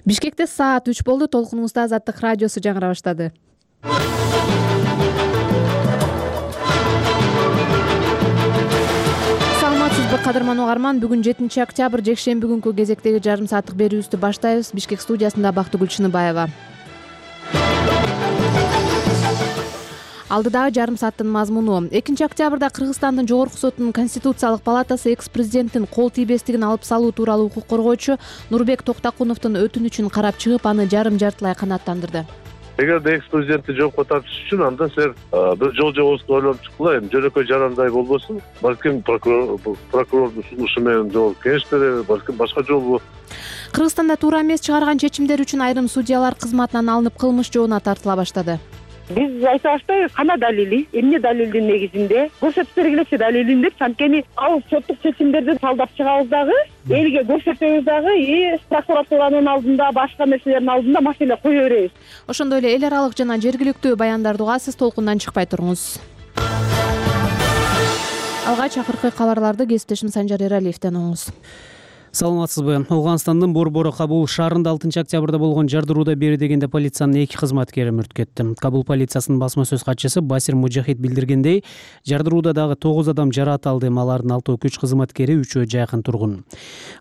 Бишкекте саат 3 болду. Толкунубузда Азаттык радиосу жаңыра баштады. Саламатсызбы кадырман угарман. Бүгүн 7 октябрь жекшемби күнкү кезектеги жарым сааттык берүүбүздү баштайбыз. Бишкек студиясында Бактыгүл Чыныбаева. Алдыдагы жарым сааттын мазмуну. 2 октябрда Кыргызстандын Жогорку сотунун Конституциялык палатасы экс-президенттин кол тийбестигин алып салуу тууралуу укук коргоочу Нурбек Токтакуновдун өтүнүчүн карап чыгып, аны жарым-жартылай канааттандырды. Эгерде экс-президентти жоопко тартыш үчүн анда силер бир жол жобосун ойлонуп чыккыла, эми жөнөкөй жарандай болбосун. Балким прокурордун сунушу менен жооп кеңеш береби, балким башка жолу. Кыргызстанда туура эмес чыгарган чечимдер үчүн айрым судьялар кызматынан алынып кылмыш жоона тартыла баштады. Биз айта баштайбыз, кана далили, эмне далилдин негизинде көрсөтүп бергилечи далилин деп, анткени ал соттук чечимдерди талдап чыгабыз дагы, элге көрсөтөбүз дагы, прокуратуранын алдында, башка нерселердин алдында маселе кое беребиз. Ошондой эле эл аралык жана жергиликтүү баяндарды угасыз, толкундан чыкпай туруңуз. Алгач акыркы кабарларды кесиптешим Санжар Эралиевден угуңуз. Саламатсызбы. Ауганстандын Борбору Кабул шаарында 6 октябрда болгон жардырууда бери дегенде полициянын 2 кызматкери мүрт кетти. Кабул полициясынын басма сөз катчысы Басир Мужахид билдиргендей, жардырууда дагы 9 адам жараат алды. Алардын 6 күч кызматкери, 3-өө жакын тургун.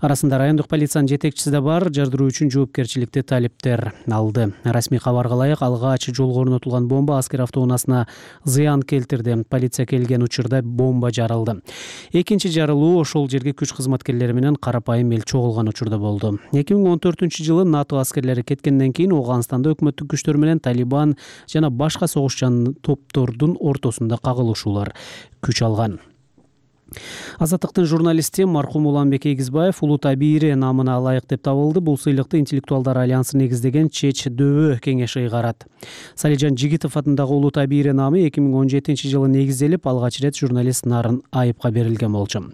Арасында райондук полициянын жетекчиси да бар. Жардыруу үчүн жоопкерчиликти талептер алды. Расмий кабарга ылайык, алгач жолго орнотулган бомба аскер автоунаасына зыян келтирди. Полиция келген учурда бомба жарылды. Экинчи жарылуу ошол жерге күч кызматкерлери менен карапайым эл чогулган учурда болду. 2014-жылы НАТО аскерлери кеткенден кийин Ауганстанда өкмөттүк күчтөр менен Талибан жана башка согушчан топтордун ортосунда кагылышуулар күч алган. Азаттыктын журналисти маркум Уланбек Эгизбаев улуу табири намына ылайык деп табылды. Бул сыйлыкты Интеллектуалдар альянсы негиздеген Чеч дөбө кеңеши ыйгарат. Салижан Жигитов атындагы улуу табири намы 2017-жылы негизделип, алгач ирет журналист Нарын Айыпка берилген болчу.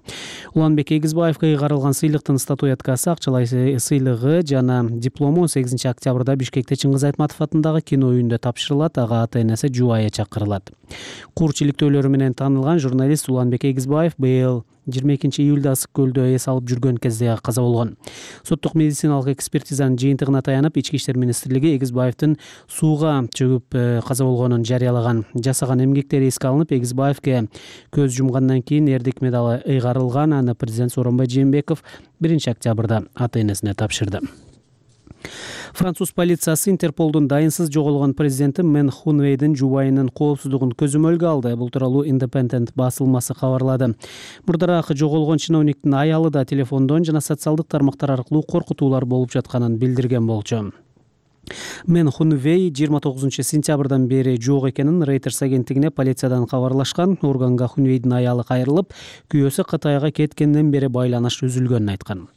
Уланбек Эгизбаевга ыйгарылган сыйлыктын статуэткасы, акчалай сыйлыгы жана диплому 8 октябрда Бишкекте Чыңгыз Айтматов атындагы кино үйүндө тапшырылат. Ага ата-энеси Жубайы чакырылат. Кур чиликтөөлөрү менен таанылган журналист Уланбек Эгизбаев быйыл 22 июлда Ысык көлдө эс алып жүргөн кезде каза болгон. Соттук медициналык экспертизанын жыйынтыгына таянып, Ички иштер министрлиги Эгизбаевдин сууга чөгүп каза болгонун жарыялаган. Жасаган эмгектери эске алынып, Эгизбаевге көз жумгандан кийин эрдик медалы ыйгарылган. Аны президент Сооронбай Жээнбеков 1 октябрда ата-энесине тапшырды. Француз полициясы Интерполдун дайынсыз жоголгон президенти Мен Хунвейдин жубайынын коопсуздугун көзөмөлгө алды. Бул тууралуу Independent басылмасы кабарлады. Мурдараак жоголгон чиновниктин аялы да телефондон жана социалдык тармактар аркылуу коркутуулар болуп жатканын билдирген болчу. Мен Хунвей 29 сентябрдан бери жок экенин Reuters агенттигине полициядан кабарлашкан. Органга Хунвейдин аялы кайрылып, күйөөсү Кытайга кеткенден бери байланыш үзүлгөнүн айткан.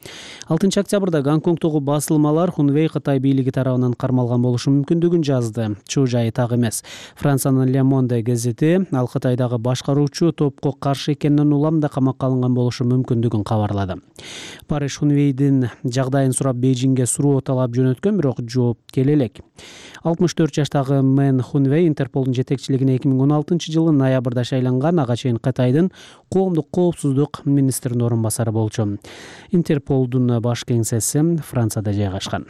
6 октябрда Гонконгдогу басылмалар Хунвей Кытай бийлиги тарабынан кармалган болушу мүмкүндүгүн жазды. Чоо жайы так эмес. Франциянын Le Monde газети ал Кытайдагы башкаруучу топко каршы экенин улам да камакка алынган болушу мүмкүндүгүн кабарлады. Париж Хунвейдин жагдайын сурап Бейжиңге суроо талап жөнөткөн, бирок жооп келе элек. 64 жаштагы Мен Хунвей Интерполдун жетекчилигине 2016-жылы ноябрда шайланган. Ага чейин Кытайдын коомдук коопсуздук министринин орун басары болчу. Интерполдун баш кеңсеси Францияда жайгашкан.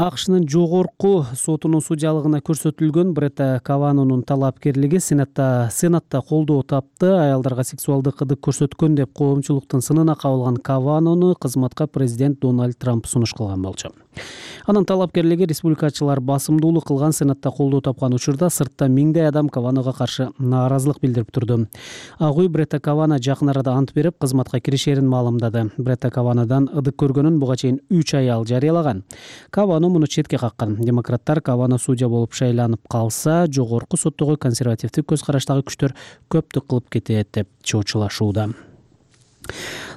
АКШнын жогорку сотунун судьялыгына көрсөтүлгөн Бретта Каванонун талапкерлиги Сенатта колдоо тапты. Аялдарга сексуалдык кыдык көрсөткөн деп коомчулуктун сынына кабылган Каванону кызматка президент Дональд Трамп сунуш кылган болчу. Анын талапкерлиги республикачылар басымдуулук кылган Сенатта колдоо тапкан учурда сыртта миңдей адам Каванога каршы нааразылык билдирип турду. Ак үй Бретта Кавано жакын арада ант берип, кызматка киришерин маалымдады. Бретта Каванодан ыдык көргөнүн буга чейин 3 аял жарыялаган. Кавано муну четке каккан. Демократтар Кавано судья болуп шайланып калса, жогорку соттогу консервативдик көз караштагы күчтөр көптүк кылып кетет деп чоочулашууда.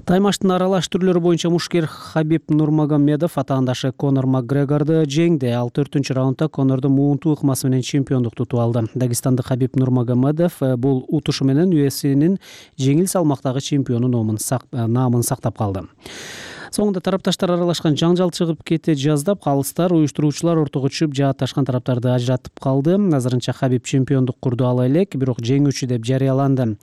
Таймаштын аралаш түрлөрү боюнча мушкер Хабиб Нурмагомедов атаандашы Конор Макгрегорду жеңди. Ал 4-раундда Конорду муунтуу ыкмасы менен чемпиондук тутуп алды. Дагестандык Хабиб Нурмагомедов бул утушу менен UFC'нин жеңил салмактагы чемпиону намын сактап калды. Соңунда тарапташтар аралашкан жаңжал чыгып кете жаздап, калыстар уюштуруучулар ортого түшүп, жаатташкан тараптарды ажыратып калды. Азырынча Хабиб чемпиондук курду ала элек, бирок жеңүүчү деп жарыяланды.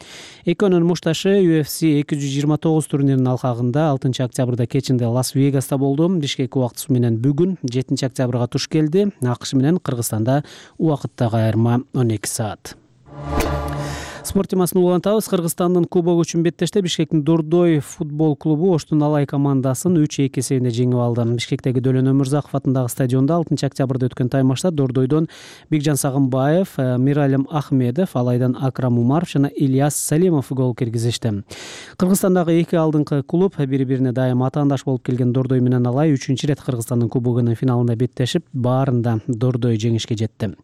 Экөөнүн мушташы UFC 229 турниринин алкагында 6 октябрда кечинде Лас-Вегаста болду. Бишкек убактысы менен бүгүн 7 октябрга туш келди. АКШ менен Кыргызстанда убакыттагы айырма 12 саат. Спорт темасын улантабыз. Кыргызстандын кубогу үчүн беттеште Бишкектин Дордой футбол клубу Оштун Алай командасын 3-2 эсебинде жеңип алды. Бишкектеги Дөлөн Өмүрзаков атындагы стадиондо 6 октябрда өткөн таймашта Дордойдон Бекжан Сагынбаев, Миралим Ахмедов, Алайдан Акрам Умаров жана Ильяс Салимов гол киргизишти. Кыргызстандагы эки алдыңкы клуб бири-бирине дайым атаандаш болуп келген Дордой менен Алай 3-чү рет Кыргызстандын кубогунун финалында беттешип, баарында Дордой жеңишке жетти.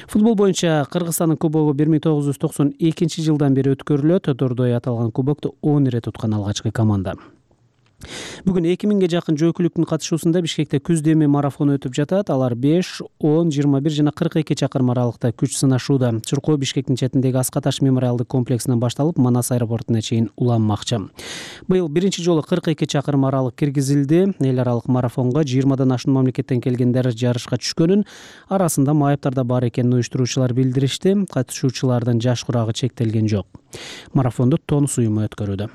Футбол боюнча Кыргызстандын кубогу 1992 жылдан бери өткөрүлөт. Дордой аталган кубокду 10 ирет уткан алгачкы команда. Бүгүн 2000ге жакын жөөкүлүктүн катышуусунда Бишкекте күз деми марафону өтүп жатат. Алар 5, 10, 21 жана 42 чакырым аралыкта күч сынашууда. Чуркоо Бишкектин четиндеги Аскаташ мемориалдык комплексинен башталып, Манас аэропортуна чейин уланмакчы. Быйыл биринчи жолу 42 чакырым аралык киргизилди. Эл аралык марафонго 20дан ашуун мамлекеттен келгендер жарышка түшкөнүн, арасында майыптар да бар экенин уюштуруучулар билдиришти. Катышуучулардын жаш курагы чектелген жок. Марафонду Тонус уюму өткөрүүдө.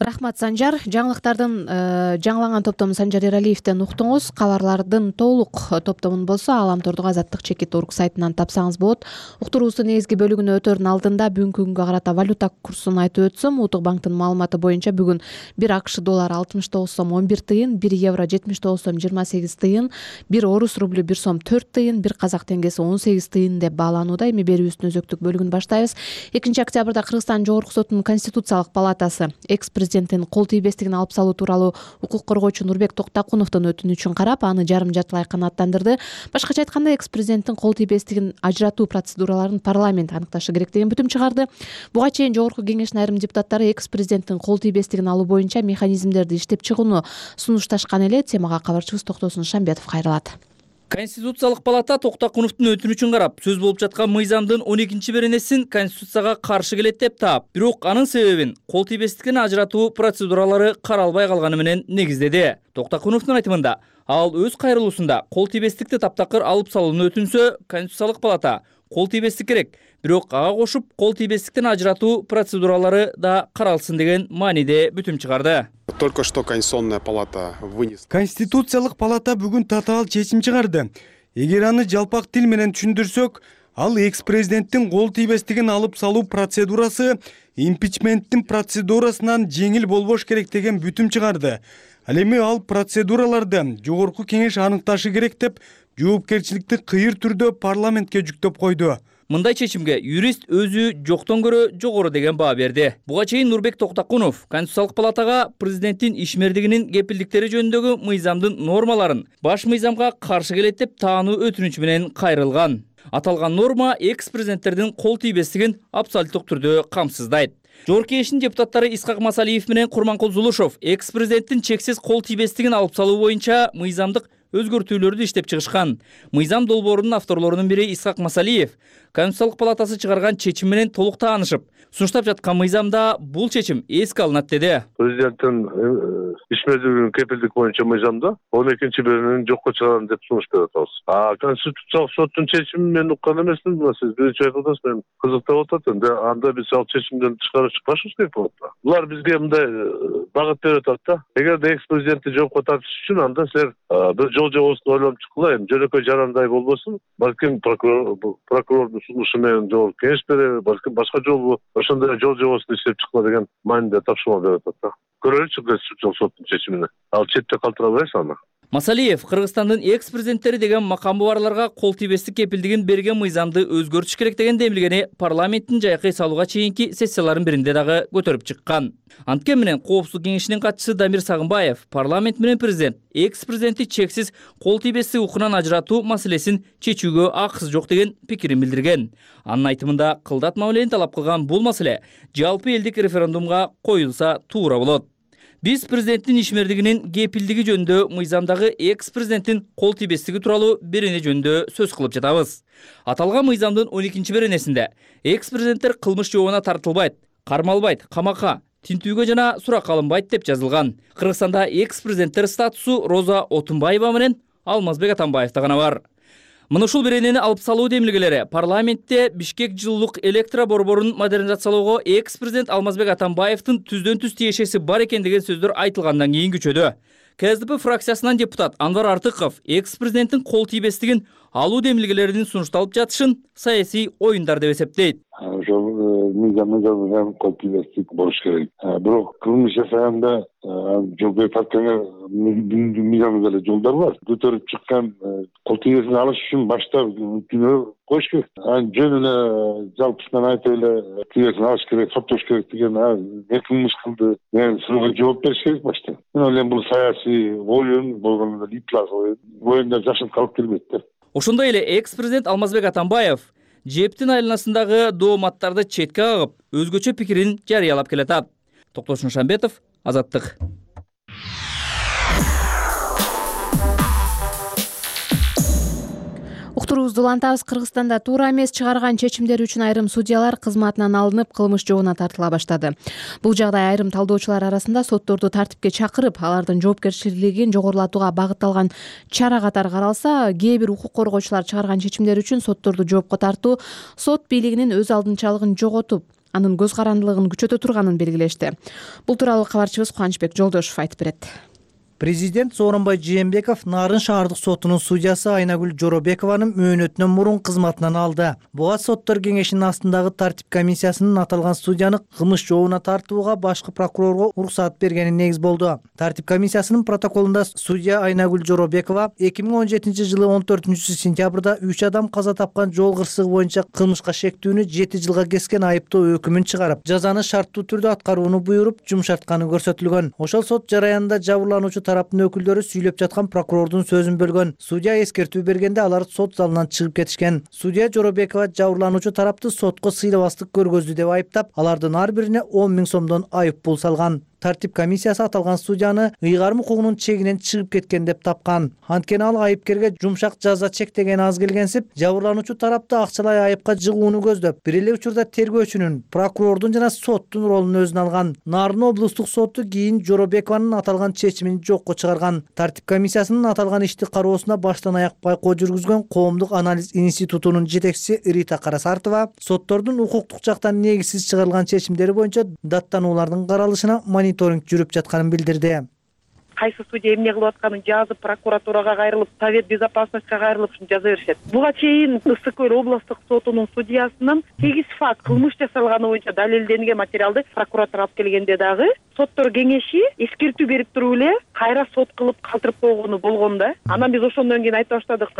Рахмат, Санжар. Жаңыланган топтому Санжар Эралиевден уктуңуз. Кабарлардын толук топтомун болсо Ааламтордук Азаттык чекит орг сайтынан тапсаңыз болот. Уктуруубуздун негизги бөлүгүнө өтөрдүн алдында бүгүнкү күнгө карата валюта курсун айтып өтсөм, Улуттук банктын маалыматы боюнча бүгүн 1 АКШ доллары 69 сом 11 тыйын, 1 евро 79 сом 28 тыйын, 1 орус рублю 1 сом 4 тыйын, 1 казак теңгеси 18 тыйын деп бааланууда. Эми берүүбүздүн өзөктүк бөлүгүн баштайбыз. 2 октябрда Кыргызстан Жогорку сотунун Конституциялык палатасы экс-президенттин кол тийбестигин алып салуу тууралуу укук коргоочу Нурбек Токтакуновдун өтүнүчүн карап, аны жарым жартылай канааттандырды. Башкача айтканда, экс-президенттин кол тийбестигин ажыратуу процедураларын парламент аныкташы керек деген бүтүм чыгарды. Буга чейин Жогорку Кеңештин айрым депутаттары экс-президенттин кол тийбестигин алуу боюнча механизмдерди иштеп чыгууну сунушташкан эле. Темага кабарчыбыз Токтосун Шамбетов кайрылат. Конституциялык палата Токтакуновдун өтүнүчүн карап, сөз болуп жаткан мыйзамдын 12 беренесин Конституцияга каршы келет деп таап, бирок анын себебин кол тийбестикин ажыратуу процедуралары каралбай калганы менен негиздеди. Токтакуновдун айтымында, ал өз кайрылуусунда кол тийбестикти таптакыр алып салууну өтүнсө, Конституциялык палата кол тийбестик керек, бирок ага кошуп кол тийбестиктен ажыратуу процедуралары да каралсын деген мааниде бүтүм чыгарды. Только что Конституционная палата вынесла. Конституциялык палата бүгүн татаал чечим чыгарды. Эгер аны жалпак тил менен түшүндүрсөк, ал экс-президенттин кол тийбестигин алып салуу процедурасы импичменттин процедурасынан жеңил болбош керек деген бүтүм чыгарды. Ал эми ал процедураларды Жогорку Кеңеш аныкташы керек деп жоопкерчиликти кыйыр түрдө парламентке жүктөп койду. Мындай чечимге юрист өзү жоктон көрө жогору деген баа берди. Буга чейин Нурбек Токтакунов Конституциялык палатага президенттин ишмердигинин кепилдиктери жөнүндөгү мыйзамдын нормаларын баш мыйзамга каршы келет деп таануу өтүнүч менен кайрылган. Аталган норма экс-президенттердин кол тийбестигин абсолюттук түрдө камсыздайт. Жогорку Кеңештин депутаттары Исхак Масалиев менен Курманкул Зулушов экс-президенттин чексиз кол тийбестигин алып салуу боюнча мыйзамдык өзгөртүүлөрдү иштеп чыгышкан. Мыйзам долбоорунун авторлорунун бири Исхак Масалиев Конституциялык палатасы чыгарган чечим менен толук таанышып, сунуштап жаткан мыйзамда бул чечим эске алынат деди. Президенттин ишмердигинин кепилдик боюнча мыйзамда 12 беренени жокко чыгарам деп сунуш берип атабыз. Конституциялык соттун чечимин мен уккан эмесмин. Сиз биринчи айтып атасыз, мен кызыктап атат. Анда биз ал чечимден тышкары чыкпашыбыз керек болот да. Булар бизге мындай багыт берип атат да. Эгерде экс-президентти жокко тартыш үчүн анда силер бир жол жобосун ойлонуп чыккыла, эми жөнөкөй жарандай болбосун. Балким прокурордун сунушу менен Жогорку Кеңеш береби, балким башка жолу ошондой жол жобосун иштеп чыккыла деген мааниде тапшырма берип атат да. Көрөлүчү Конституциялык соттун чечимине. Ал четте калтырабайсыз аны. Масалиев Кыргызстандын экс-президенттери деген макамы барларга кол тийбестик кепилдигин берген мыйзамды өзгөртүш керек деген демилгени парламенттин жайкы салууга чейинки сессияларынын биринде дагы көтөрүп чыккан. Анткени менен Коопсуздук кеңешинин катчысы Дамир Сагынбаев парламент менен президент экс-президентти чексиз кол тийбестик укугунан ажыратуу маселесин чечүүгө акысы жок деген пикирин билдирген. Анын айтымында кылдатма менен талап кылган бул маселе жалпы элдик референдумга коюлса туура болот. Биз президенттин ишмердигинин кепилдиги жөнүндө мыйзамдагы экс-президенттин кол тийбестиги тууралуу берене жөнүндө сөз кылып жатабыз. Аталган мыйзамдын 12 беренесинде экс-президенттер кылмыш жообуна тартылбайт, кармалбайт, камакка тинтүүгө жана суракка алынбайт деп жазылган. Кыргызстанда экс-президенттер статусу Роза Отунбаева менен Алмазбек Атамбаевда гана бар. Мына ушул беренени алып салуу демилгелери парламентте Бишкек жылуулук электро борборун модернизациялоого экс-президент Алмазбек Атамбаевдин түздөн-түз тиешеси бар экен деген сөздөр айтылгандан кийин күчөдү. КСДП фракциясынан депутат Анвар Артыков экс-президенттин кол тийбестигин алуу демилгелеринин сунушталып жатышын саясий оюндар деп эсептейт. Ошол мыйзам кол тийбестик болуш керек. Бирок кылмыш жасаганда жол партияга мыйзам эле жолдор бар. Көтөрүп чыккан кол тийбесин алыш үчүн башта күнөө коюш керек. Жөн эле жалпысынан айтып эле тийбесин алыш керек, соттош керек деген не кылмыш кылды деген суроого жооп бериш керек башта. Мен ойлойм бул саясий оюн болгондо иплас оюнда жашып калып келбейт да. Ошондой эле экс-президент Алмазбек Атамбаев жептин айланасындагы дооматтарды четке кагып, өзгөчө пикирин жарыялап келатат. Токтош Нушанбетов, Азаттык. Уктуруубузду улантабыз. Кыргызстанда туура эмес чыгарган чечимдер үчүн айрым судьялар кызматынан алынып, кылмыш жообуна тартыла баштады. Бул жагдай айрым талдоочулар арасында сотторду тартипке чакырып, алардын жоопкерчилигин жогорулатууга багытталган чара катары каралса, кээ бир укук коргоочулар чыгарган чечимдер үчүн сотторду жоопко тартуу сот бийлигинин өз алдынчалыгын жоготуп, анын көз карандылыгын күчөтө турганын белгилешти. Бул тууралуу кабарчыбыз Кубанычбек Жолдошов айтып берет. Президент Сооронбай Жээнбеков Нарын шаардык сотунун судьясы Айнагүл Жоробекованы мөөнөтүнөн мурун кызматынан алды. Буга соттор кеңешинин астындагы тартип комиссиясынын аталган судьяны кылмыш жообуна тартууга башкы прокурорго уруксат бергени негиз болду. Тартип комиссиясынын протоколунда судья Айнагүл Жоробекова 2017 жылы 14 сентябрда 3 адам каза тапкан жол кырсыгы боюнча кылмышка шектүүнү 7 жылга кескен айыптоо өкүмүн чыгарып, жазаны шарттуу түрдө аткарууну буйруп, жумшартканы көрсөтүлгөн. Ошол сот жараянында жабырлануучу тараптын өкүлдөрү сүйлөп жаткан прокурордун сөзүн бөлгөн. Судья эскертүү бергенде алар сот залынан чыгып кетишкен. Судья Жоробекова жабырлануучу тарапты сотко сыйлабастык көргөздү деп айыптап, алардын ар бирине 10 000 сомдон айып пул салган. Тартип комиссиясы аталган судьяны ыйгарым укугунун чегинен чыгып кеткен деп тапкан. Анткени ал айыпкерге жумшак жаза чектеген аз келгенсип, жабырлануучу тарапты акчалай айыпка жыгууну көздөп, бир эле учурда тергөөчүнүн, прокурордун жана соттун ролун өзүнө алган. Нарын облустук соту кийин Жоробекованын аталган чечимин жокко чыгарган. Тартип комиссиясынын аталган ишти кароосуна баштан аяк байкоо жүргүзгөн Коомдук анализ институтунун жетекчиси Рита Карасартова соттордун укуктук жактан негизсиз чыгарылган чечимдери боюнча даттануулардын каралышына мониторинг жүрүп жатканын билдирди. Кайсы судья эмне кылып атканын жазып, прокуратурага кайрылып, Совет безопасностька кайрылып жаза беришет. Буга чейин Ысык Көл облустук сотунун судьясынын 8 факт кылмыш жасалганы боюнча далилденген материалды прокуратура алып келгенде дагы соттор кеңеши эскертүү берип туруп эле кайра сот кылып калтырып койгону болгон да. Анан биз ошондон кийин айта баштадык,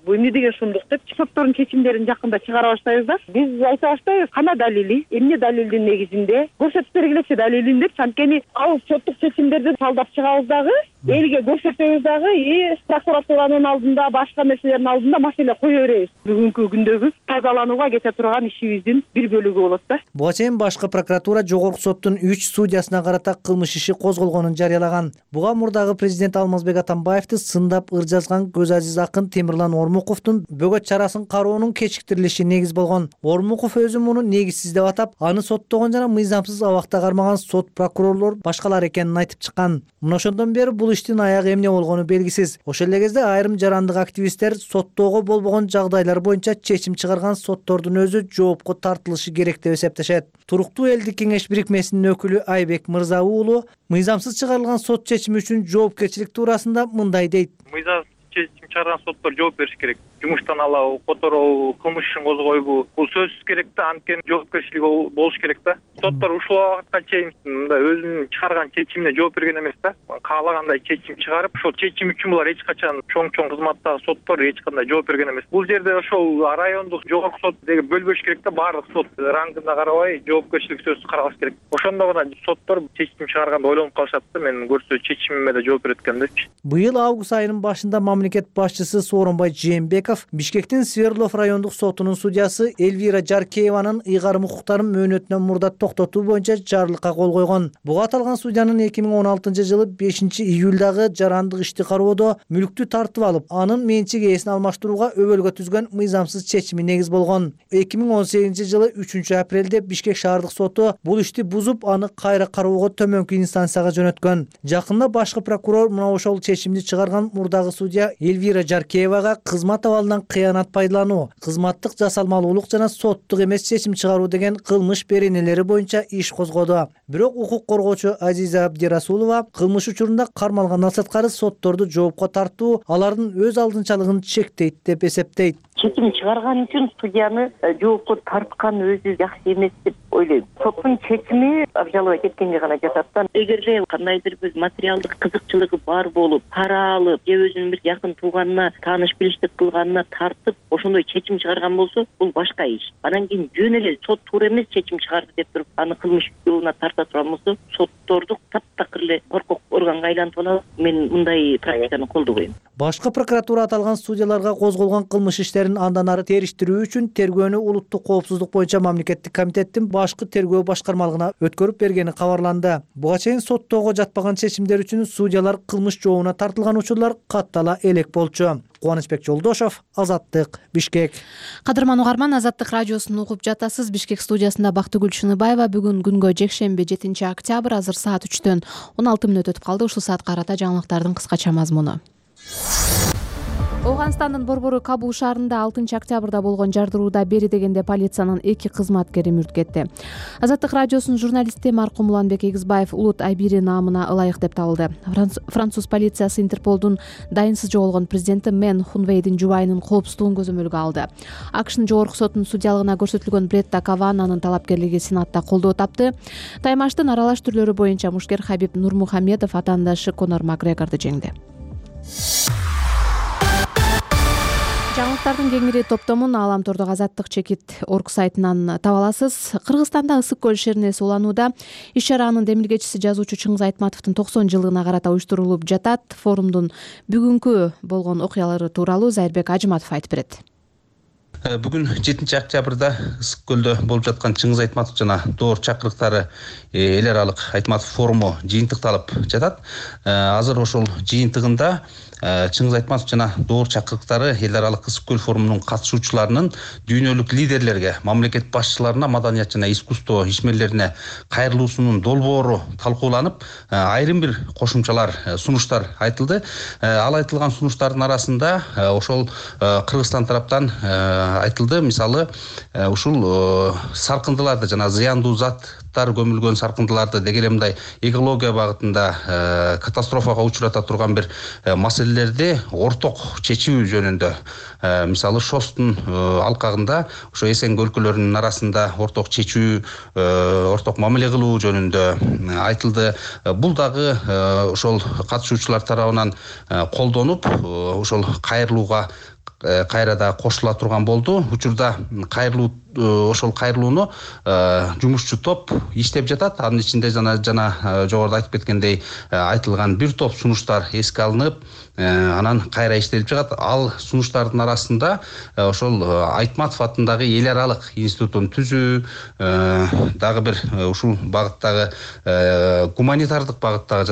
бул эмне деген шумдук деп, соттордун чечимдерин жакында чыгара баштайбыз да. Биз айта баштайбыз, кана далили, эмне далилдин негизинде көрсөтүп бергилечи далилин деп, анткени ал соттук чечимдерди талдап чыгабыз дагы, элге көрсөтөбүз дагы, прокуратуранын алдында, башка нерселердин алдында маселе кое беребиз. Бүгүнкү күндөгү тазаланууга кете турган ишибиздин бир бөлүгү болот да. Буга чейин башкы прокуратура жогорку соттун 3 судьясына карата кылмыш иши козголгонун жарыялаган. Буга мурдагы президент Алмазбек Атамбаевди сындап ыр жазган көз азиз акын Темирлан Ормуковдун бөгөт чарасын кароонун кечиктирилиши негиз болгон. Ормуков өзү муну негизсиз деп атап, аны соттогон жана мыйзамсыз абакта кармаган сот прокурорлор башкалар экенин айтып чыккан. Мына ошондон бери бул иштин аягы эмне болгону белгисиз. Ошол эле кезде айрым жарандык активисттер соттоого болбогон жагдайлар боюнча чечим чыгарган соттордун өзү жоопко тартылышы керек деп эсептешет. Туруктуу элдик кеңеш бирикмесинин өкүлү Айбек Мырза уулу мыйзамсыз чыгарылган сот чечими үчүн жоопкерчилик туурасында мындай дейт. Мыйзамсыз чечим чыгарган соттор жооп бериш керек. Жумуштан алабы, которобу, кылмыш ишин козгойбу, бул сөзсүз керек да, анткени жоопкерчилиги болуш керек да. Соттор ушул убакытка чейин мындай өзүнүн чыгарган чечимине жооп берген эмес да. Каалагандай чечим чыгарып, ошол чечим үчүн булар эч качан чоң кызматтагы соттор эч кандай жооп берген эмес. Бул жерде ошол райондук жогорку сот деген бөлбөш керек да, баардык сот рангына карабай жоопкерчилик сөзсүз каралыш керек. Ошондо гана соттор чечим чыгарганда ойлонуп калышат да, мен көрсө чечимиме да жооп берет экен депчи. Быйыл август айынын башында мамлекет башчысы Сооронбай Жээнбеков Бишкектин Свердлов райондук сотунун судьясы Эльвира Жаркееванын ыйгарым укуктарын мөөнөтүнөн мурда токтотуу боюнча жарлыкка кол койгон. Буга аталган судьянын 2016-жылы 5-июлдагы жарандык ишти кароодо мүлктү тартып алып, анын менчик ээсин алмаштырууга өбөлгө түзгөн мыйзамсыз чечими негиз болгон. 2018-жылы 3-апрелде Бишкек шаардык соту бул ишти бузуп, аны кайра кароого төмөнкү инстанцияга жөнөткөн. Жакында башкы прокурор мына ошол чечимди чыгарган мурдагы судья Эльвира Жаркеевага кызмат абалынан кыянат пайдалануу, кызматтык жасалмалуулук жана соттук эмес чечим чыгаруу деген кылмыш беренелери боюнча иш козгоду. Бирок укук коргоочу Азиза Абдирасулова кылмыш учурунда кармалган сырткары сотторду жоопко тартуу алардын өз алдынчалыгын чектейт деп эсептейт. Чечим чыгарган үчүн судьяны жоопко тарткан өзү жакшы эмес деп ойлойм. Соттун чечими обжаловать эткенге гана жатат да. Эгерде кандайдыр бир материалдык кызыкчылыгы бар болуп, пара алып, же өзүнүн бир жакын тууганына тааныш билиштик кылганына тартып, ошондой чечим чыгарган болсо, бул башка иш. Анан кийин жөн эле сот туура эмес чечим чыгарды деп туруп, аны кылмыш жолуна тарта турган болсо, сотторду таптакыр эле коркок органга айлантып алат. Мен мындай практиканы колдобойм. Башкы прокуратура аталган судьяларга козголгон кылмыш иштерин андан ары териштирүү үчүн тергөөнү улуттук коопсуздук боюнча мамлекеттик комитеттин башкы тергөө башкармалыгына өткөрүп бергени кабарланды. Буга чейин соттоого жатпаган чечимдер үчүн судьялар кылмыш жообуна тартылган учурлар каттала элек болчу. Кубанычбек Жолдошов, Азаттык, Бишкек. Кадырман угарман, Азаттык радиосун угуп жатасыз. Бишкек студиясында Бактыгүл Шыныбаева. Бүгүн күнгө жекшемби 7-октябрь, азыр саат 3-төн 16 мүнөт өтүп калды. Ушул саатка карата жаңылыктардын кыскача мазмуну. Ооганстандын борбору Кабул шаарында 6-октябрда болгон жардырууда бери дегенде полициянын 2 кызматкери мүрт кетти. Азаттык радиосунун журналисти маркум Уланбек Эгизбаев улут Айбири наамына ылайык деп табылды. Француз полициясы Интерполдун дайынсыз жоголгон президенти Мен Хунвейдин жубайынын коопсуздугун көзөмөлгө алды. АКШнын жогорку сотунун судьялыгына көрсөтүлгөн Бретта Кавананын талапкерлиги Сенатта колдоо тапты. Таймаштын аралаш түрлөрү боюнча мушкер Хабиб Нурмухамедов атаандашы Конор Макгрегорду жеңди. Жаңылыктардын кеңири топтомун Ааламтордогу Азаттык чекит орг сайтынан таба аласыз. Кыргызстанда ысык көл шернеси уланууда. Иш-чаранын демилгечиси жазуучу Чыңгыз Айтматовдун 90 жылыгына карата уюштурулуп жатат. Форумдун бүгүнкү болгон окуялары тууралуу Зайырбек Ажыматов айтып берет. Бүгүн 7-октябрда ысык көлдө болуп жаткан Чыңгыз Айтматов жана Доор чакырыктары эл аралык Айтматов форуму жыйынтыкталып жатат. Азыр ошол жыйынтыгында Чыңгыз Айтматов жана Доор чакырыктары эл аралык ысык көл форумунун катышуучуларынын дүйнөлүк лидерлерге, мамлекет башчыларына, маданият жана искусство ишмерлерине кайрылуусунун долбоору талкууланып, айрым бир кошумчалар, сунуштар айтылды. Ал айтылган сунуштардын арасында ошол Кыргызстан тараптан айтылды. Мисалы, ушул саркындыларды жана зыяндуу заттар көмүлгөн саркындыларды деги эле мындай экология багытында катастрофага учурата турган бир маселелерди орток чечүү жөнүндө, мисалы Шостун алкагында ошо Эсенг өлкөлөрүнүн арасында орток чечүү, орток мамиле кылуу жөнүндө айтылды. Бул дагы ошол катышуучулар тарабынан колдонуп, ошол кайрылууга кайра да кошула турган болду. Учурда ошол кайрылууну жумушчу топ иштеп жатат. Анын ичинде жана жогоруда айтып кеткендей айтылган бир топ сунуштар эске алынып, анан кайра иштелип жатат. Ал сунуштардын арасында ошол Айтматов атындагы эл аралык институтун түзүү, дагы бир ушул багыттагы гуманитардык багыттагы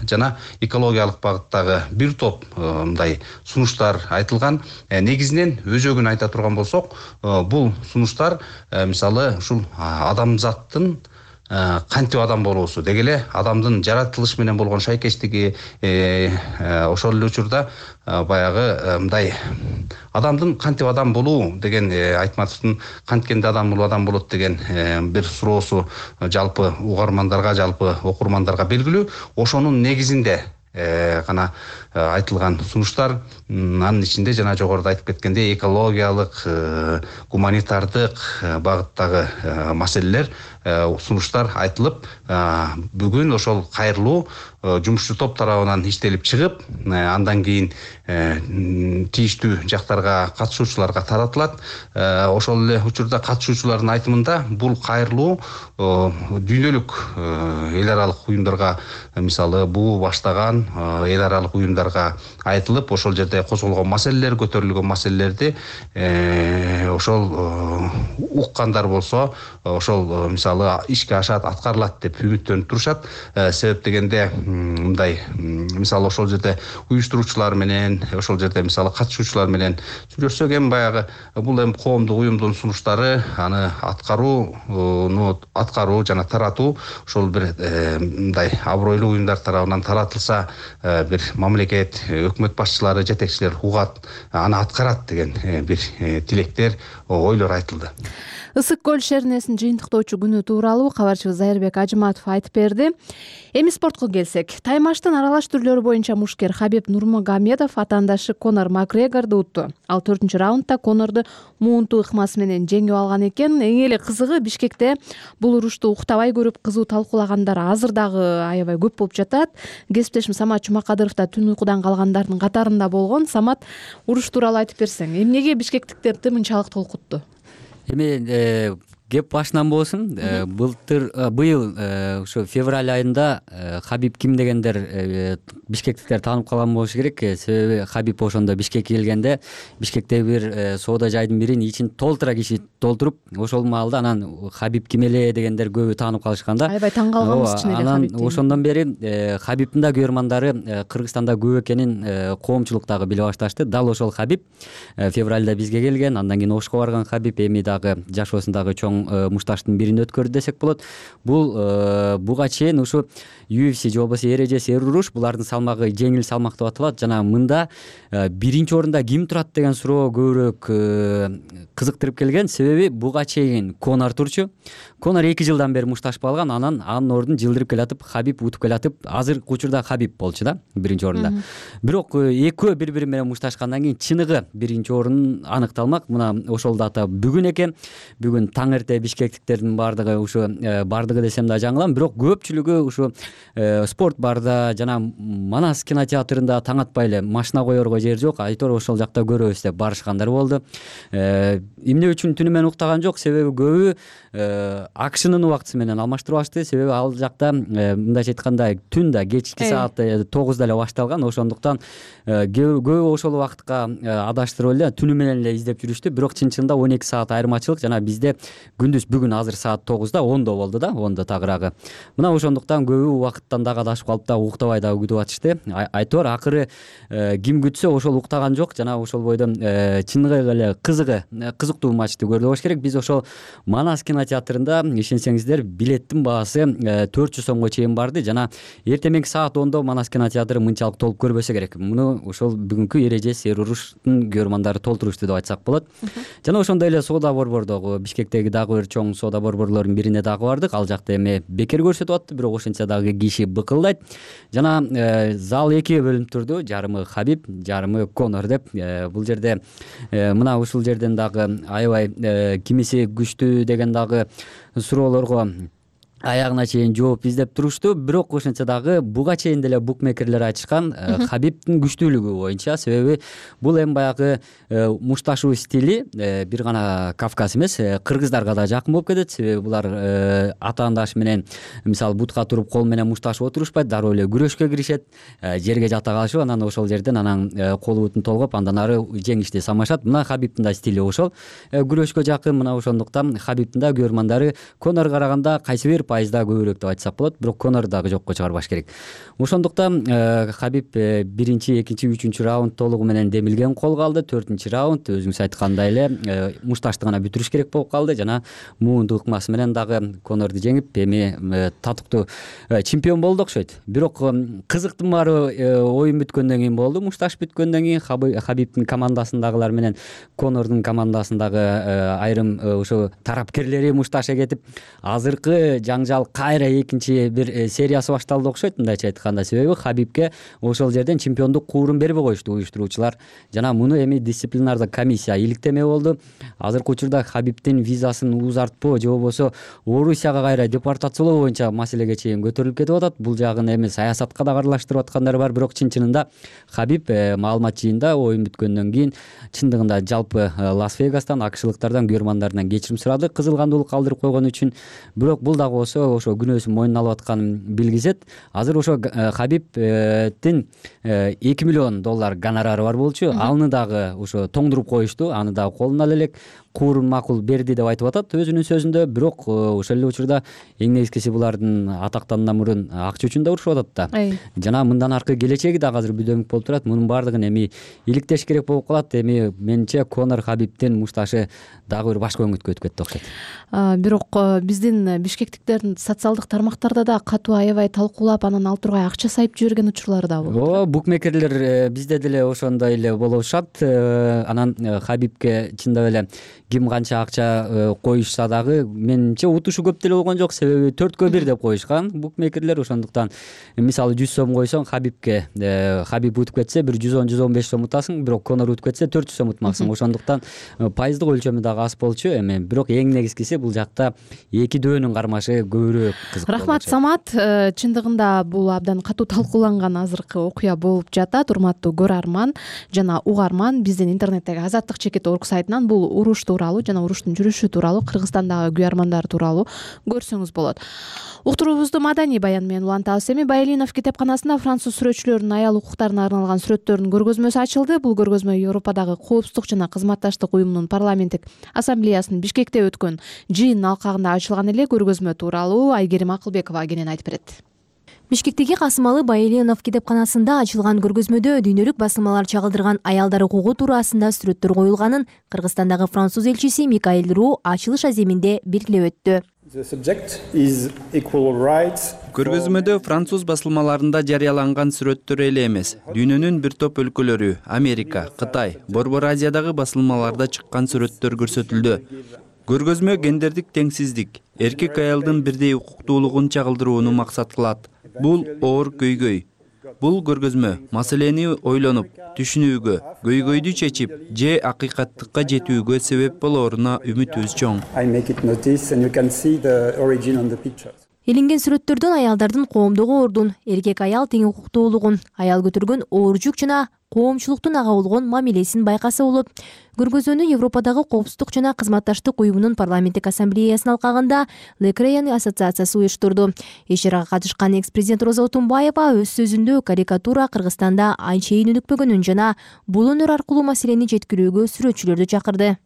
жана экологиялык багыттагы бир топ мындай сунуштар айтылган. Негизинен өзөгүн айта турган болсок, бул сунуштар мисалы ушул адамзаттын кантип адам болуусу, деги эле адамдын жаратылыш менен болгон шайкештиги, ошол эле учурда баягы мындай адамдын кантип адам болуу деген, Айтматовдун канткенде адам болот деген бир суроосу жалпы угармандарга, жалпы окурмандарга белгилүү. Ошонун негизинде гана айтылган сунуштар, анын ичинде жана жогоруда айтып кеткендей экологиялык, гуманитардык багыттагы маселелер, сунуштар айтылып, бүгүн ошол кайрылуу жумушчу топ тарабынан иштелип чыгып, андан кийин тийиштүү жактарга, катышуучуларга таратылат. Ошол эле учурда катышуучулардын айтымында бул кайрылуу дүйнөлүк эл аралык уюмдарга, мисалы БУ баштаган эл аралык уюмдарга айтылып, ошол жерде козголгон маселелер, көтөрүлгөн маселелерди ошол уккандар болсо, ошол мисалы ишке ашат, аткарылат деп үмүттөнүп турушат. Себеп дегенде мындай, мисалы ошол жерде уюштуруучулар менен, ошол жерде мисалы катышуучулар менен сүйлөшсөк, эми баягы бул эми коомдук уюмдун сунуштары, аны аткаруу жана таратуу ошол бир мындай абройлуу уюмдар тарабынан таратылса, бир мамлекет, өкмөт башчылары, жетекчилер угат, аны аткарат деген бир тилектер, ойлор айтылды. Ысык көл шернесин жыйынтыктоочу күнү тууралуу кабарчыбыз Зайырбек Ажыматов айтып берди. Эми спортко келсек, таймаштын аралаш түрлөрү боюнча мушкер Хабиб Нурмагомедов атаандашы Конор Макгрегорду утту. Ал 4-раундда Конорду муунтуу ыкмасы менен жеңип алган экен. Эң эле кызыгы, Бишкекте бул урушту уктабай көрүп кызуу талкуулагандар азыр дагы аябай көп болуп жатат. Кесиптешим Самат Жумакадыров да түн уйкудан калгандардын катарында болгон. Самат, уруш тууралуу айтып берсең, эмнеге бишкектиктерди мынчалык толкутту? Эми кеп башынан болсун. Быйыл ушу февраль айында Хабиб ким дегендер бишкектиктер таанып калган болушу керек. Себеби Хабиб ошондо Бишкекке келгенде Бишкектеги бир соода жайдын бирин ичин толтура киши толтуруп, ошол маалда анан Хабиб ким эле дегендер көбү таанып калышкан да. Аябай таң калганбыз чын эле Хабиб. Анан ошондон бери Хабибтин да көрөрмандары Кыргызстанда көп экенин коомчулук дагы биле башташты. Дал ошол Хабиб февралда бизге келген, андан кийин Ошко барган Хабиб эми дагы жашоосундагы чоң мушташтын бирин өткөрдү десек болот. Бул буга чейин ушу UFC же болбосо эрежеси эруруш, булардын салмагы жеңил салмак деп аталат. Жана мында биринчи орунда ким турат деген суроо көбүрөөк кызыктырып келген. Себеби буга чейин Конор турчу. Конор 2 жылдан бери мушташпай алган, анан анын ордун жылдырып келатып, Хабиб утуп келатып, азыркы учурда Хабиб болчу да биринчи орунда. Бирок экөө бири-бири менен мушташкандан кийин чыныгы биринчи орун аныкталмак. Мына ошол дата бүгүн экен. Бүгүн таң эрте бишкектиктердин баардыгы ушу баардыгы десем да жаңылам, бирок көпчүлүгү ушу спорт барда жана Манас кинотеатрында таң атпай эле машина коерго жер жок, айтор ошол жакта көрөбүз деп барышкандар болду. Эмне үчүн түнү менен уктаган жок, себеби көбү акшынын убактысы менен алмаштырып алышты. Себеби ал жакта мындайча айтканда түн да кечки саат 9да эле башталган. Ошондуктан көбү ошол убакытка адаштырып эле түнү менен эле издеп жүрүштү. Бирок чын-чынында 12 саат айырмачылык. Жана бизде күндүз бүгүн азыр саат 9да 10до болду да, 10до тагыраагы. Мына ошондуктан көбү убакыттан дагы адашып калып да уктабай дагы күтүп атышты. Айтор акыры ким күтсө ошол уктаган жок. Жана ошол бойдон чыныгы эле кызыктуу матчты көрдү болуш керек. Биз ошол Манас кинотеатрында, ишенсеңиздер, билеттин баасы 400 сомго чейин барды. Жана эртең саат 10до Манас кинотеатры мынчалык толуп көрбөсө керек. Муну ошол бүгүнкү эрежеси эруруштун көрөрмандары толтурушту деп айтсак болот. Жана ошондой эле соода борбордогу Бишкектеги дагы бир чоң соода борборлорунун бирине дагы бардык. Ал жакта эми бекер көрсөтүп атты, бирок ошентсе дагы киши быкылдайт. Жана зал 2 бөлүнүп турду. Жарымы Хабиб, жарымы Конор деп. Бул жерде мына ушул жерден дагы аябай кимиси күчтүү деген дагы суроолорго аягына чейин жооп издеп турушту. Бирок ошентсе дагы буга чейин деле букмекерлер айтышкан Хабибтин күчтүүлүгү боюнча. Себеби бул эми баягы мушташуу стили бир гана Кавказ эмес, кыргыздарга да жакын болуп кетет. Себеби булар атаандаш менен мисалы бутка туруп кол менен мушташып отурушпайт, дароо эле күрөшкө киришет, жерге жата калышып, анан ошол жерден анан кол бутун толгоп андан ары жеңишти самашат. Мына Хабибтин да стили ошол, күрөшкө жакын. Мына ошондуктан Хабибтин да көрөрмандары Конорго караганда кайсы бир пайызда көбүрөөк деп айтсак болот, бирок Конор дагы жокко чыгарбаш керек. Ошондуктан Хабиб биринчи, экинчи, үчүнчү раунд толугу менен демилген колго алды. 4-раунд өзүңүз айткандай эле мушташты гана бүтүрүш керек болуп калды. Жана муунтуу ыкмасы менен дагы Конорду жеңип, эми татыктуу чемпион болду окшойт. Бирок кызыктын баары оюн бүткөндөн кийин болду. Мушташ бүткөндөн кийин Хабибтин командасындагылар менен Конордун командасындагы айрым ошо тарапкерлери мушташа кетип, азыркы жаңы жаңжал кайра экинчи бир сериясы башталды окшойт, мындайча айтканда. Себеби Хабибке ошол жерден чемпиондук куурун бербей коюшту уюштуруучулар. Жана муну эми дисциплинардык комиссия иликтемек болду. Азыркы учурда Хабибдин визасын узартпоо же болбосо Орусияга кайра депортациялоо боюнча маселеге чейин көтөрүлүп кетип атат. Бул жагын эми саясатка да аралаштырып аткандар бар, бирок чын-чынында Хабиб маалымат жыйында оюн бүткөндөн кийин чындыгында жалпы Лас-Вегастан, акшылыктардан, күйөрмандарынан кечирим сурады, кызыл кандуулук калтырып койгон үчүн. Бирок бул дагы болсо ошо күнөөсүн мойнуна алып атканын билгизет. Азыр ошо Хабибдин $2 миллион гонорары бар болчу. Аны дагы ошо тоңдуруп коюшту. Аны дагы колуна ала элек куурун макул берди деп айтып атат өзүнүн сөзүндө. Бирок ошол эле учурда эң негизгиси булардын атактандан мурун акча үчүн да урушуп атат да. Жана мындан аркы келечеги дагы азыр бүдөмүк болуп турат. Мунун баардыгын эми иликтеш керек болуп калат. Эми менимче Конор Хабибдин мушташы дагы бир башка өңүткө өтүп кетти окшойт. Бирок биздин бишкектиктердин социалдык тармактарда да катуу аябай талкуулап, анан ал тургай акча сайып жиберген учурлары да болот. Ооба, букмекерлер бизде деле ошондой эле болушат. Анан Хабибке чындап эле ким канча акча коюшса дагы менимче утушу көп деле болгон жок. Себеби 4-1 деп коюшкан букмекерлер. Ошондуктан мисалы 100 сом койсоң Хабибке, Хабиб утуп кетсе бир 110-115 сом утасың, бирок Конор утуп кетсе 400 сом утмаксың. Ошондуктан пайыздык өлчөмү дагы аз болчу. Эми бирок эң негизгиси бул жакта эки дөөнүн кармашы көбүрөөк кызык. Рахмат Самат. Чындыгында бул абдан катуу талкууланган азыркы окуя болуп жатат. Урматтуу көрөрман жана угарман, биздин интернеттеги Азаттык чекит орг сайтынан бул уруш тууралуу жана уруштун жүрүшү тууралуу, Кыргызстандагы күйөрмандар тууралуу көрсөңүз болот. Уктуруубузду маданий баян менен улантабыз. Эми Байлинов китепканасында француз сүрөтчүлөрүнүн аял укуктарына арналган сүрөттөрдүн көргөзмөсү ачылды. Бул көргөзмө Европадагы коопсуздук жана кызматташтык уюмунун парламенттик ассамблеясынын Бишкекте өткөн жыйынын алкагында ачылган эле. Көргөзмө тууралуу Айгерим Акылбекова кенен айтып берет. Бишкектеги Касымалы Байлинов китепканасында ачылган көргөзмөдө дүйнөлүк басылмалар чагылдырган аялдар укугу туурасында сүрөттөр коюлганын Кыргызстандагы француз элчиси Микаэль Ру ачылыш аземинде белгилеп өттү. Көргөзмөдө француз басылмаларында жарыяланган сүрөттөр эле эмес, дүйнөнүн бир топ өлкөлөрү, Америка, Кытай, Борбор Азиядагы басылмаларда чыккан сүрөттөр көрсөтүлдү. Көргөзмө гендердик теңсиздик, эркек аялдын бирдей укуктуулугун чагылдырууну максат кылат. Бул оор көйгөй. Бул көргөзмө маселени ойлонуп, түшүнүүгө, көйгөйдү чечип, же акыйкаттыкка жетүүгө себеп болоруна үмүтүбүз чоң. Илинген сүрөттөрдөн аялдардын коомдогу ордун, эркек аял тең укуктуулугун, аял көтөргөн оор жүк жана коомчулуктун ага болгон мамилесин байкаса болот. Көргөзмөнү Европадагы коопсуздук жана кызматташтык уюмунун парламенттик ассамблеясынын алкагында Лекрейан ассоциациясы уюштурду. Иш-чарага катышкан экс-президент Роза Отунбаева өз сөзүндө карикатура Кыргызстанда анчейин өнүкпөгөнүн жана бул өнөр аркылуу маселени жеткирүүгө сүрөтчүлөрдү чакырды.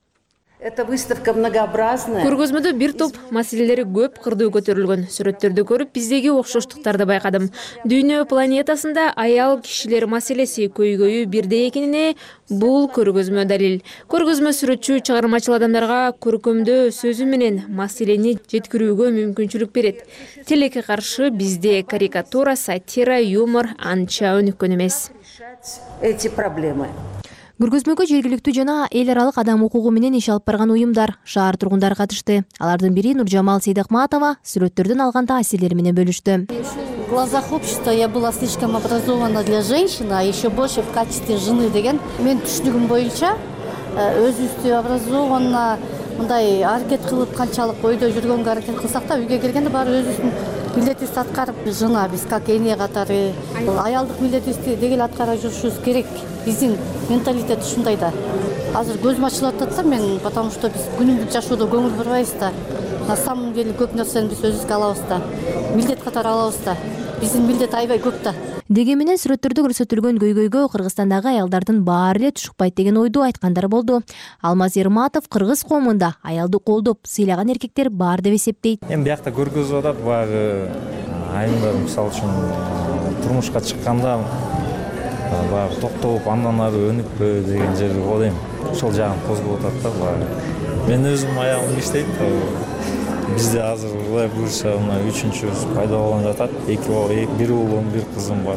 Көргөзмөдө бир топ маселелери көп кырдуу көтөрүлгөн. Сүрөттөрдү көрүп, биздеги окшоштуктарды байкадым. Дүйнө планетасында аял кишилер маселеси көйгөйү бирдей экенине бул көргөзмө далил. Көргөзмө сүрөтчү чыгармачыл адамдарга көркөмдөө сөзү менен маселени жеткирүүгө мүмкүнчүлүк берет. Тилекке каршы бизде карикатура, сатира, юмор анча өнүккөн эмес. Эти проблемы. Көргөзмөгө жергиликтүү жана эл аралык адам укугу менен иш алып барган уюмдар, шаар тургундары катышты. Алардын бири Нуржамал Сейдахматова сүрөттөрдөн алган таасирлери менен бөлүштү. В глазах общества я была слишком образована для женщины, а еще больше в качестве жены деген. Мен түшүнүгүм боюнча өзүбүздү образованно мындай аракет кылып канчалык ойдо жүргөнгө аракет кылсак да, үйгө келгенде баары өзүбүздүн милдетибизди аткарып, жана биз как эне катары аялдык милдетибизди дегеле аткара жүрүшүбүз керек. Биздин менталитет ушундай да. Азыр көзүм ачылып атат да мен, потому что биз күнүмдүк жашоодо көңүл бурбайбыз да. На самом деле көп нерсени биз өзүбүзгө алабыз да. Милдет катары алабыз да. Биздин милдет аябай көп да. Дегенменен сүрөттөрдө көрсөтүлгөн көйгөйгө Кыргызстандагы аялдардын баары эле түшүкпайт деген ойду айткандар болду. Алмаз Ерматов кыргыз коомунда аялды колдоп, сыйлаган эркектер бар деп эсептейт. Эми биякта көргөзүп атат баягы айымдар мисалы үчүн турмушка чыкканда баягы токтоп андан ары өнүкпө деген жерди ойлойм. Ошол жагын козгоп атат да баягы. Мен өзүм аягым иштейт. Бизде азыр ылай буюрса мына 3-чүбүз пайда болгон жатат. Бир уулум, бир кызым бар.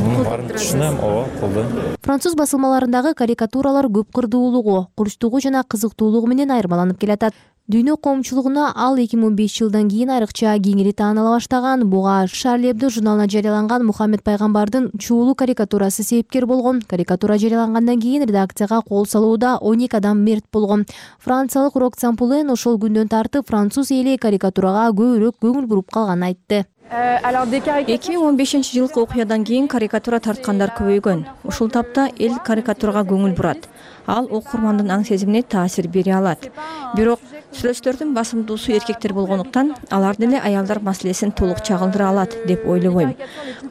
Мунун баарын түшүнөм, ооба, колдойм. Француз басылмаларындагы карикатуралар көп кырдуулугу, курчтугу жана кызыктуулугу менен айырмаланып келатат. Дүйнө коомчулугуна ал 2005 жылдан кийин айрыкча кеңири тааныла баштаган. Буга Шарли Эбдо журналына жарыяланган Мухаммед пайгамбардын чуулуу карикатурасы себепкер болгон. Карикатура жарыялангандан кийин редакцияга кол салууда 12 адам мерт болгон. Франциялык Роксан Пулен ошол күндөн тартып француз эли карикатурага көбүрөөк көңүл буруп калганын айтты. 2015 жылкы окуядан кийин карикатура тарткандар көбөйгөн. Ушул тапта эл карикатурага көңүл бурат. Ал окурмандын аң сезимине таасир бере алат. Бирок сүрөттөрдүн басымдуусу эркектер болгондуктан алар деле аялдар маселесин толук чагылдыра алат деп ойлобойм.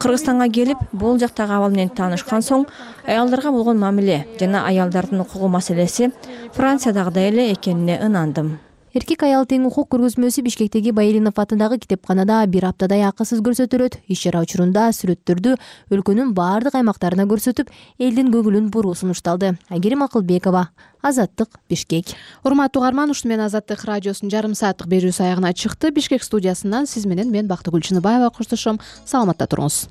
Кыргызстанга келип, бул жактагы абал менен таанышкан соң, аялдарга болгон мамиле жана аялдардын укугу маселеси Франциядагыдай эле экенине ынандым. Эркек аял тең укук көргөзмөсү Бишкектеги Байылинов атындагы китепканада бир аптадай акысыз көрсөтүлөт. Иш-чара учурунда сүрөттөрдү өлкөнүн баардык аймактарына көрсөтүп, элдин көңүлүн буруу сунушталды. Айгерим Акылбекова, Азаттык, Бишкек. Урматтуу угарман, ушуну менен Азаттык радиосунун жарым сааттык берүүсү аягына чыкты. Бишкек студиясынан сиз менен мен Бактыгүл Чыныбаева коштошом. Саламатта туруңуз.